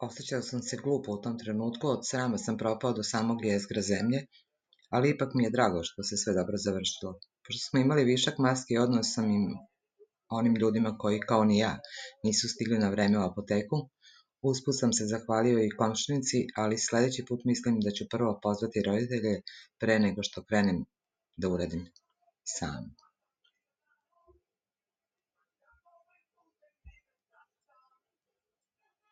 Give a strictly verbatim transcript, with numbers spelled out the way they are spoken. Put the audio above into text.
Osjećao sam se glupo u tom trenutku, od srama sam propao do samog jezgra zemlje, ali ipak mi je drago što se sve dobro završilo. Pošto smo imali višak maski, odnos sam im onim ljudima koji, kao ni ja, nisu stigli na vreme u apoteku. Usput sam se zahvalio i komšinici, ali sledeći put mislim da ću prvo pozvati roditelje pre nego što krenem da uradim sam.